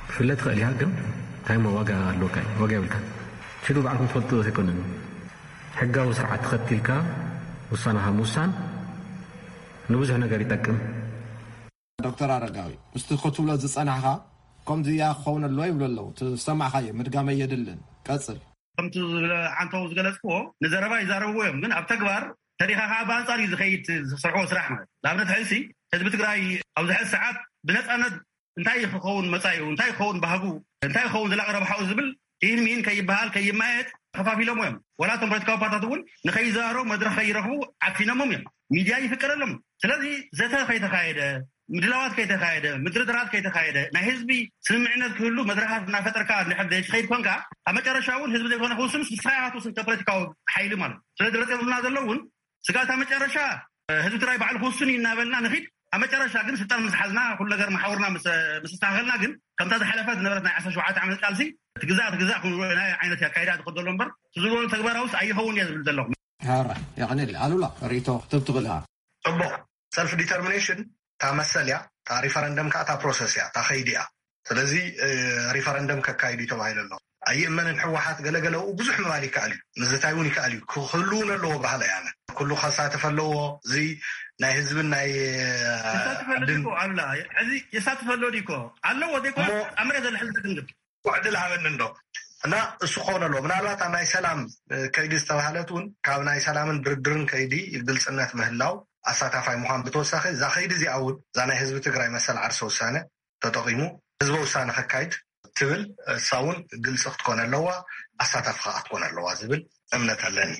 ክፍለጥ ይኽእል እያ፣ ግን እንታይ እሞ ዋጋ ኣለካ? ዋጋ የብልካ። ኪዱ ባዕልኩም ትፈልጡ ኣይኮነን። ሕጋዊ ስርዓት ተኸቲልካ ውሳነኻ ምውሳን ንብዙሕ ነገር ይጠቅም። ዶክተር ኣረጋዊ ምስቲ ክትብሎ ዝፀናሕካ ከምዚ እያ ክኸውን ኣለዎ ይብሉ ኣለዉ። እቲ ዝሰማዕካዮ ምድጋመይ የድልን። ቀፅል። ከምቲ ዝብለ ዓንተው ዝገለፅክዎ ንዘረባ ይዛረብዎ እዮም፣ ግን ኣብ ተግባር ተሪኻ ከዓ ብኣንፃር እዩ ዝኸይድ ዝሰርሕዎ ስራሕ ማለት። ንኣብነት ሕዚ ህዝቢ ትግራይ ኣብዚ ሕዚ ሰዓት ብነፃነት እንታይ ክኸውን መፃዩ፣ እንታይ ክኸውን ባህጉ፣ እንታይ ክኸውን ዘላቂ ረብሓኡ ዝብል ይህን ሚን ከይበሃል ከይማየጥ ከፋፊሎሞ እዮም። ዋላ እቶም ፖለቲካዊ ፓርታት እውን ንከይዘራረቡ መድረክ ከይረኽቡ ዓፊኖሞም እዮም። ሚድያ ይፍቀደሎም። ስለዚ ዘተ ከይተካየደ፣ ምድላዋት ከይተካየደ፣ ምድርድራት ከይተካየደ፣ ናይ ህዝቢ ስምምዕነት ክህሉ መድረካት እናፈጠርካ እንድሕር ዘይትኸይድ ኮንካ ኣብ መጨረሻ እውን ህዝቢ ዘይኮነ ክውስን ንስኻ ኢኻ ትውስን ከፖለቲካዊ ሓይሊ ማለት እዩ። ስለዚ ረፂ ዝብልና ዘሎ እውን ስጋታ መጨረሻ ህዝቢ ትግራይ ባዕሉ ክውስን እዩ እናበልና ንኺድ ኣብ መጨረሻ ግን ስልጣን ምስ ሓዝና ኩሉ ነገር መሓውርና ምስ ኣስተካከልና ግን ከምታ ዝሓለፈ ዝነበረት ናይ ዓሰርተ ሸውዓተ ዓመት ቃልሲ ትግዛእ ትግዛእ ክንብሎ ናይ ዓይነት ኣካይዳ ዝኸደሎ እምበር ትዝበሉ ተግባራውስ ኣይኸውን እየ ዝብል ዘለኹ። ሕራይ የቐንየለይ። ኣሉላ ርእይቶ ክትህብ ትኽእል ኢኻ። ፅቡቕ። ሰልፍ ዲተርሚኔሽን እታ መሰል እያ፣ እታ ሪፈረንደም ከዓ እታ ፕሮሰስ እያ፣ እታ ከይዲ እያ። ስለዚ ሪፈረንደም ከካይዱ እዩ ተባሂሉ ኣሎ። ኣይእመንን። ህወሓት ገለገለኡ ብዙሕ ምባል ይከኣል እዩ፣ ምዝታይ እውን ይከኣል እዩ። ክህልውን ኣለዎ ባህል እያ። ኣነ ኩሉ ከሳትፍ ኣለዎ። እዚ ናይ ህዝብን ናይ የሳትፈሉ ድዩ እኮ ኣሉላ? እዚ የሳትፈሉ ድዩ እኮ ኣለዎ ዘይኮነ ኣብ መሬት ዘሎ ሕዚ ግን ዕድል ሃበኒ እንዶ እና እሱ ክኸውን ኣለዎ። ምናልባት ኣብ ናይ ሰላም ከይዲ ዝተባህለት እውን ካብ ናይ ሰላምን ድርድርን ከይዲ ግልፅነት ምህላው፣ ኣሳታፋይ ምዃን ብተወሳኺ እዛ ከይዲ እዚኣ እውን እዛ ናይ ህዝቢ ትግራይ መሰል ዓርሰ ውሳነ ተጠቒሙ ህዝበ ውሳነ ከካይድ ትብል እሳ እውን ግልፂ ክትኮን ኣለዋ፣ ኣሳታፊ ከዓ ክትኮን ኣለዋ ዝብል እምነት ኣለኒ።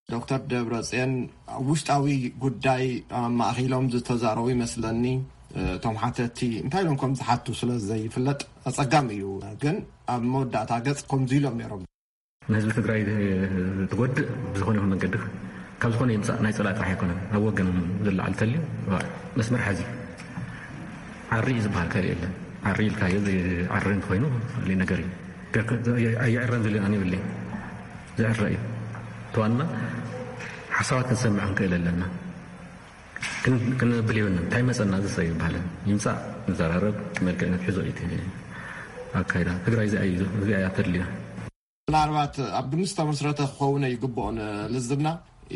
ዶክተር ደብረፅዮን ኣብ ውሽጣዊ ጉዳይ ኣማእኪሎም ዝተዛረቡ ይመስለኒ። እቶም ሓተቲ እንታይ ኢሎም ከም ዝሓቱ ስለ ዘይፍለጥ ኣፀጋሚ እዩ። ግን ኣብ መወዳእታ ገፅ ከምዚ ኢሎም ነይሮም። ንህዝቢ ትግራይ ትጎድእ ብዝኾነ ይኹን መንገዲ ካብ ዝኾነ ይምፃእ ናይ ፀላኢ ጥራሕ ኣይኮነን። ኣብ ወገን ዝለዓል ተልዩ መስመር ሓዚ ዓሪ እዩ ዝበሃል ካልእ የለን። ዓሪ ኢልካዮ ዓሪ እንተኮይኑ ካልእ ነገር እዩ። ኣይዕረን ዝብል ኣነ ይብለይ። ዝዕረ እዩ። እቲ ዋና ሓሳባት ክንሰምዕ ክንክእል ኣለና። ክንብል የብልና። እንታይ መፀና ዝሰ ይበሃለን ይምፃእ ንዘራረብ። መልክዕ ንትሕዞ እዩ ኣካይዳ ትግራይ እዚኣ እዩ። እዚኣ እያ ተድልያ። ምናልባት ኣብ ግምት ዝተመስረተ ክኸውን ይግብኦ ንልዝብና።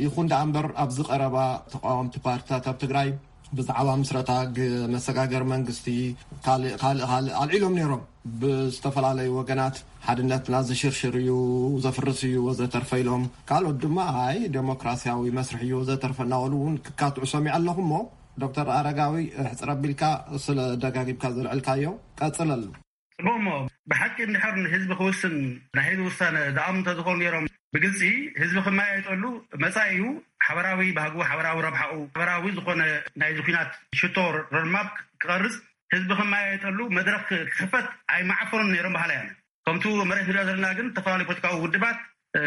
ይኹን ደኣ እምበር ኣብዚ ቀረባ ተቃወምቲ ፓርቲታት ኣብ ትግራይ ብዛዕባ ምስረታ መሰጋገር መንግስቲ ካልእ ካልእ ካልእ ኣልዒሎም ነይሮም። ብዝተፈላለዩ ወገናት ሓድነትና ዝሽርሽር እዩ፣ ዘፍርስ እዩ ወዘተርፈ ኢሎም፣ ካልኦት ድማ ኣይ ዴሞክራሲያዊ መስርሕ እዩ ወዘተርፈ እናበሉ እውን ክካትዑ ሰሚዐ ኣለኹ። እሞ ዶክተር ኣረጋዊ ሕፅር ኣቢልካ ስለ ደጋጊምካ ዘልዕልካዮ ቀፅለሉ። ፅቡቅ። እሞ ብሓቂ እንድሕር ንህዝቢ ክውስን ናይ ህዝቢ ውሳነ ዝኣምኑ እንተዝኾኑ ነይሮም ብግልፂ ህዝቢ ክመያየጠሉ መፃኢኡ ሓበራዊ ባህጉ፣ ሓበራዊ ረብሓኡ፣ ሓበራዊ ዝኾነ ናይዚ ኲናት ሽቶ ሮድማፕ ክቐርፅ ህዝቢ ክመያየጠሉ መድረክ ክኽፈት ኣይመዓፈኑን ነይሮም በሃላይ ኣነ። ከምቱ መሬት ንሪኦ ዘለና ግን ዝተፈላለዩ ፖለቲካዊ ውድባት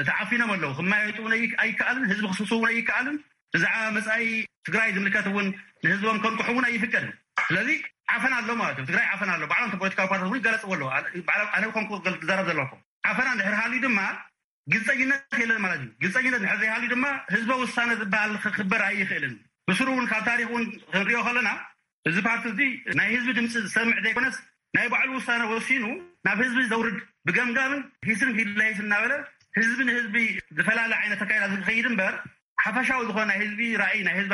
ተዓፊኖም ኣለዉ። ክመያየጡ እውን ኣይከኣልን፣ ህዝቢ ክስብስቡ እውን ኣይከኣልን። ብዛዕባ መፃኢ ትግራይ ዝምልከት እውን ንህዝቦም ከንቅሑ እውን ኣይፍቀድን። ስለዚ ዓፈና ኣሎ ማለት እዩ። ትግራይ ዓፈና ኣሎ። ባዕሎም ፖለቲካዊ ፓርቲታት እውን ይጋለፅዎ ኣለዉ። ኣነ ኮንኩ ዝዛረብ ዘለኹ ዓፈና እንድሕር ሃልዩ ድማ ግልፀኝነት የለን ማለት እዩ። ግልፀኝነት እንድሕር ዘይሃልዩ ድማ ህዝበ ውሳነ ዝበሃል ክክበር ኣይኽእልን። ብስሩ እውን ካብ ታሪክ እውን ክንሪኦ ከለና እዚ ፓርቲ እዚ ናይ ህዝቢ ድምፂ ዝሰምዕ ዘይኮነስ ናይ ባዕሉ ውሳነ ወሲኑ ናብ ህዝቢ ዘውርድ ብገምጋምን ሂስን ሂድላይስ እናበለ ህዝቢ ንህዝቢ ዝፈላለ ዓይነት ኣካይዳ ዝኸይድ እምበር ሓፈሻዊ ዝኾነ ናይ ህዝቢ ራእይ ናይ ህዝቢ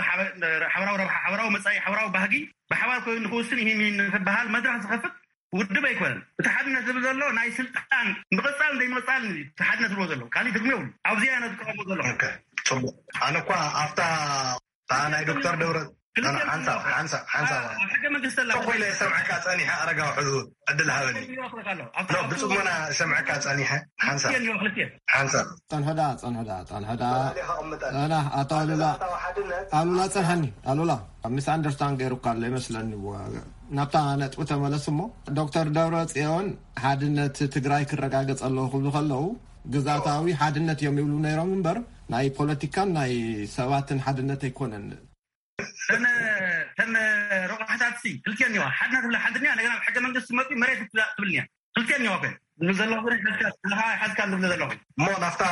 ሓበራዊ ረብሓ ሓበራዊ መፃኢ ሓበራዊ ባህጊ ብሓባር ኮይኑ ንክውስን ይህን ይህን ንክበሃል መድረክ ዝኸፍት ውድብ ኣይኮነን። እቲ ሓድነት ዝብል ዘሎ ናይ ስልጣን ምቕጻል ዘይምቕጻል እዩ። እቲ ሓድነት ዝብሎ ዘሎ ካልእ ትርጉም የብሉ። ኣብዚኣ ኢና ዝቃወሞ ዘለኹ። ኦኬ፣ ጽቡቕ። ኣነ እኳ ኣብታ እታ ናይ ዶክተር ደብረ ክልተ ሓንሳብ ሓንሳብ ሓንሳብ ኣብ ሕገ መንግስቲ ኣላ። ተኾይለ ሰምዐካ ጸኒሐ ኣረጋዊ ሕዙ ዕድል ሃበኒ። ክልተ ይወክለካ ኣሎ። ኣብታ ኖ፣ ኣብታ ብጽሞና ሰምዐካ ጸኒሐ ሓንሳብ ክልተ ይወክል። ሓንሳብ ጸንሐዳ ጸንሐዳ ጸንሐዳ ጸንሐዳ። ኣቐምጠን። ኣና ኣቶ ኣሉላ ኣሉላ ጸንሐኒ። ኣሉላ፣ ሚስ ኣንደርስታንድ ገይሩካ ኣሎ ይመስለኒ። ናብታ ነጥቢ ተመለስ እሞ። ዶክተር ደብረ ጽዮን ሓድነት ትግራይ ክረጋገጽ ኣለዎ ክብሉ ከለዉ ግዛታዊ ሓድነት እዮም ይብሉ ነይሮም እምበር ናይ ፖለቲካን ናይ ሰባትን ሓድነት ኣይኮነን። ተን ተን ረቋሕታት ሲ ክልቲኦን እኒዋ። ሓድነት ብላ ሓንቲ እኒዋ፣ እንደገና ሕገ መንግስቲ መፂ መሬት ትብል እኒዋ። ክልቲኦን እኒዋ ኮይን ዝብል ዘለኹ ግን ሓዝካ ሓዝካ ዝብል ዘለኹ። እሞ ናብታ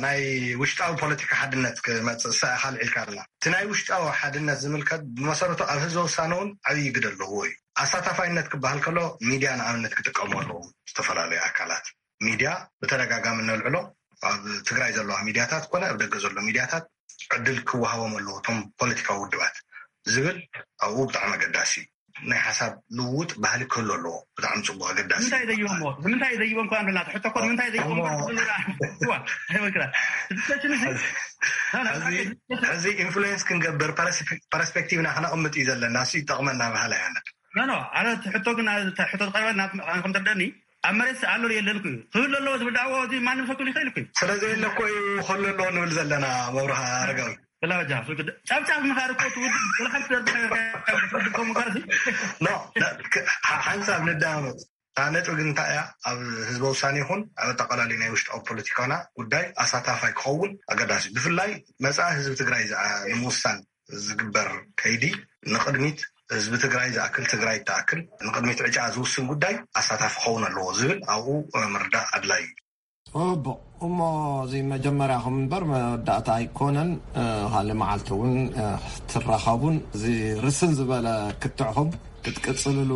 ናይ ውሽጣዊ ፖለቲካ ሓድነት ክመፅእ ሰ ካልዕ ኢልካ ኣለና። እቲ ናይ ውሽጣዊ ሓድነት ዝምልከት ብመሰረቱ ኣብ ህዝበ ውሳነ እውን ዓብዪ ግደ ኣለዎ እዩ። ኣሳታፋይነት ክበሃል ከሎ ሚድያ ንኣብነት ክጥቀሙ ኣለዎም። ዝተፈላለዩ ኣካላት ሚድያ ብተደጋጋሚ እነልዕሎ ኣብ ትግራይ ዘለዋ ሚድያታት ኮነ ኣብ ደገ ዘሎ ሚድያታት ዕድል ክወሃቦም ኣለዎ እቶም ፖለቲካዊ ውድባት ዝብል ኣብኡ ብጣዕሚ ኣገዳሲ እዩ። ናይ ሓሳብ ልውውጥ ባህሊ ክህሉ ኣለዎ። ብጣዕሚ ፅቡቅ ኣገዳሲ ንምንታይ እዩ። ዘይቦሞ ንምንታይ ዘይቦም ከ ንብላ ሕቶ ኮ ንምንታይ ዘይቦሞ እሞ ሕዚ ኢንፍሉዌንስ ክንገብር ፐረስፔክቲቭና ክነቕምጥ እዩ ዘለና። እሱ ይጠቕመና ባህላ ያነ ኖ ኖ ኣነ እቲ ሕቶ ግን እቲ ሕቶ ዝቀረበ ናብ ከም ትርደኒ ኣብ መሬት ኣሎ የለን ኩ ክህሉ ኣለዎ ዝብል ዳዕዋ እዚ ማንም ሰብ ክብል ይኽእል ኩ ስለዚ የለ እኮ እዩ ክህሉ ኣለዎ ንብል ዘለና። መብርሃ ኣረጋዊ ብላበጃ ሱቅ ጫብጫብ ምኻር እኮ ትውድብ ወላ ሓንቲ ዘርብ ነገር ትውድብ ከምኡ ጋር እዚ ኖ ሓንሳብ ንዳመፅ እታ ነጥቢ ግን እንታይ እያ? ኣብ ህዝበ ውሳኔ ይኹን ኣብ ኣጠቃላሊ ናይ ውሽጣዊ ፖለቲካና ጉዳይ ኣሳታፋይ ክኸውን ኣገዳሲ። ብፍላይ መጻኢ ህዝቢ ትግራይ ዝኣ- ንምውሳን ዝግበር ከይዲ ንቕድሚት ህዝቢ ትግራይ ዝኣክል ትግራይ ትኣክል ንቕድሚት ዕጫ ዝውስን ጉዳይ ኣሳታፊ ክኸውን ኣለዎ ዝብል ኣብኡ ምርዳእ ኣድላይ እዩ። ጽቡቕ። እሞ እዚ መጀመርያኹም እምበር መወዳእታ ኣይኮነን። ካልእ መዓልቲ እውን ክትራኸቡን እዚ ርስን ዝበለ ክትዕኹም ክትቅጽልሉ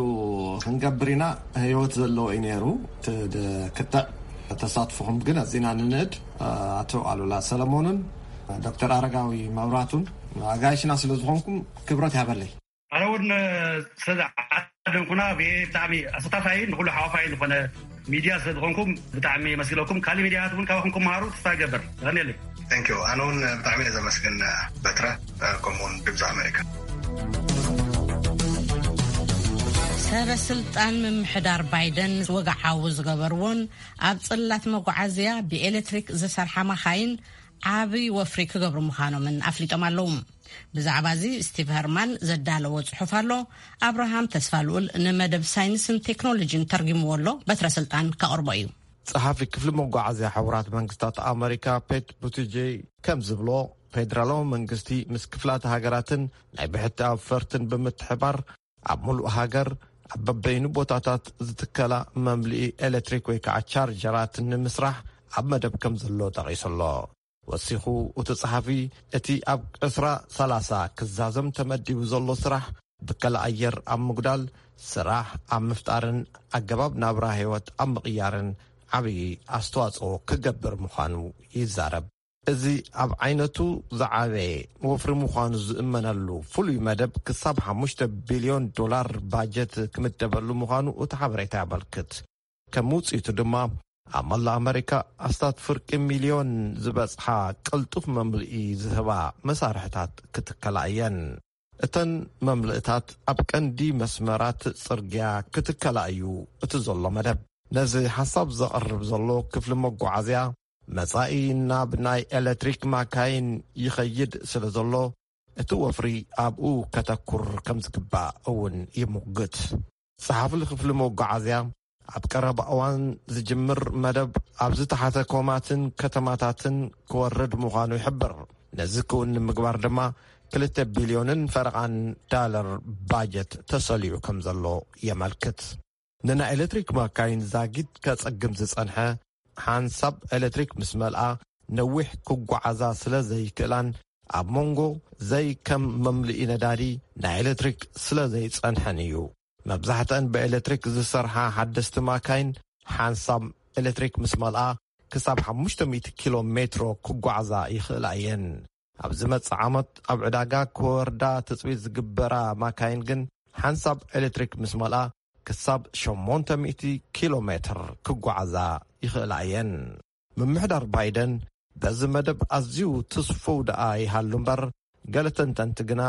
ክንገብር ኢና። ህይወት ዘለዎ እዩ ነይሩ እቲ ክትዕ። ተሳትፎኹም ግን ኣዚና ንንእድ። ኣቶ ኣሉላ ሰለሞንን ዶክተር ኣረጋዊ መብራቱን ኣጋይሽና ስለ ዝኾንኩም ክብረት ይሃበለይ። ኣነ እውን ስለዚ ዓደምኩና ብጣዕሚ ኣሳታፋይ ንኩሉ ሓዋፋይ ዝኾነ ሚድያ ስለ ዝኾንኩም ብጣዕሚ የመስግነኩም። ካልእ ሚድያታት እውን ካባኹም ክመሃሩ ተስፋ ይገብር። የቐንየለይ። Thank you። ኣነ እውን ብጣዕሚ እየ ዘመስግን በትረ፣ ከምኡ እውን ድምፂ ኣሜሪካ። ሰበ ስልጣን ምምሕዳር ባይደን ወግዓዊ ዝገበርዎን ኣብ ጽላት መጓዓዝያ ብኤሌክትሪክ ዝሰርሓ መኻይን ዓቢ ወፍሪ ክገብሩ ምዃኖምን ኣፍሊጦም ኣለዉ። ብዛዕባ እዚ ስቲቭ ሀርማን ዘዳለዎ ጽሑፍ ኣሎ። ኣብርሃም ተስፋልኡል ንመደብ ሳይንስን ቴክኖሎጂን ተርጊምዎ ኣሎ። በትረ ስልጣን ከቕርቦ እዩ። ጸሓፊ ክፍሊ መጓዓዝያ ሕቡራት መንግስታት ኣመሪካ ፔት ቡቲጄ ከም ዝብሎ፣ ፌደራላዊ መንግስቲ ምስ ክፍላት ሃገራትን ናይ ብሕቲ ኣውፈርትን ብምትሕባር ኣብ ሙሉእ ሃገር ኣብ በበይኑ ቦታታት ዝትከላ መምልኢ ኤሌክትሪክ ወይ ከዓ ቻርጀራት ንምስራሕ ኣብ መደብ ከም ዘሎ ጠቒሱ ኣሎ። ወሲኹ እቲ ጸሓፊ፣ እቲ ኣብ ዕስራ ሰላሳ ክዛዘም ተመዲቡ ዘሎ ስራሕ ብከላ ኣየር ኣብ ምጉዳል፣ ስራሕ ኣብ ምፍጣርን ኣገባብ ናብራ ህይወት ኣብ ምቕያርን ዓብዪ ኣስተዋጽኦ ክገብር ምዃኑ ይዛረብ። እዚ ኣብ ዓይነቱ ዝዓበየ ወፍሪ ምዃኑ ዝእመነሉ ፍሉይ መደብ ክሳብ ሓሙሽተ ቢልዮን ዶላር ባጀት ክምደበሉ ምዃኑ እቲ ሓበሬታ የመልክት። ከም ውጽኢቱ ድማ ኣብ መላእ ኣመሪካ ኣስታት ፍርቂ ሚልዮን ዝበጽሓ ቅልጡፍ መምልኢ ዝህባ መሳርሕታት ክትከላ እየን። እተን መምልእታት ኣብ ቀንዲ መስመራት ጽርግያ ክትከላ እዩ እቲ ዘሎ መደብ። ነዚ ሓሳብ ዘቕርብ ዘሎ ክፍሊ መጓዓዝያ፣ መጻኢ ናብ ናይ ኤሌክትሪክ ማካይን ይኸይድ ስለ ዘሎ፣ እቲ ወፍሪ ኣብኡ ከተኩር ከም ዝግባእ እውን ይምጉት። ጸሓፊ ክፍሊ መጓዓዝያ፣ ኣብ ቀረባ እዋን ዝጅምር መደብ ኣብ ዝተሓተ ኮማትን ከተማታትን ክወርድ ምዃኑ ይሕብር። ነዚ ክውን ንምግባር ድማ ክልተ ቢልዮንን ፈረቓን ዳለር ባጀት ተሰሊዑ ከም ዘሎ የመልክት። ንናይ ኤሌክትሪክ ማካይን ዛጊት ከጸግም ዝጸንሐ፣ ሓንሳብ ኤሌክትሪክ ምስ መልኣ ነዊሕ ክጓዓዛ ስለ ዘይክእላን ኣብ መንጎ ዘይከም መምልኢ ነዳዲ ናይ ኤሌክትሪክ ስለ ዘይጸንሐን እዩ። መብዛሕትአን ብኤሌክትሪክ ዝሰርሓ ሓደስቲ ማካይን ሓንሳብ ኤሌክትሪክ ምስ መልኣ ክሳብ ሓሙሽተ ሚእቲ ኪሎ ሜትሮ ክጓዓዛ ይኽእላ እየን። ኣብ ዝመጽእ ዓመት ኣብ ዕዳጋ ክወርዳ ትጽቢት ዝግበራ ማካይን ግን ሓንሳብ ኤሌክትሪክ ምስ መልኣ ክሳብ ሸሞንተ ሚእቲ ኪሎ ሜትር ክጓዓዛ ይኽእላ እየን። ምምሕዳር ባይደን በዚ መደብ ኣዝዩ ትስፉው ደኣ ይሃሉ እምበር፣ ገለ ተንተንቲ ግና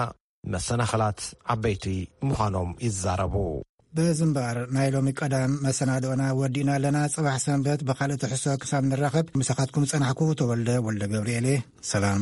መሰናኽላት ዓበይቲ ምዃኖም ይዛረቡ። በዚ እምበኣር ናይ ሎሚ ቀዳም መሰናድኦና ወዲእና ኣለና። ጽባሕ ሰንበት ብኻልእ ትሕዝቶ ክሳብ ንራኸብ ምሳኻትኩም ጸናሕኩ ተወልደ ወልደ ገብርኤል እየ። ሰላም።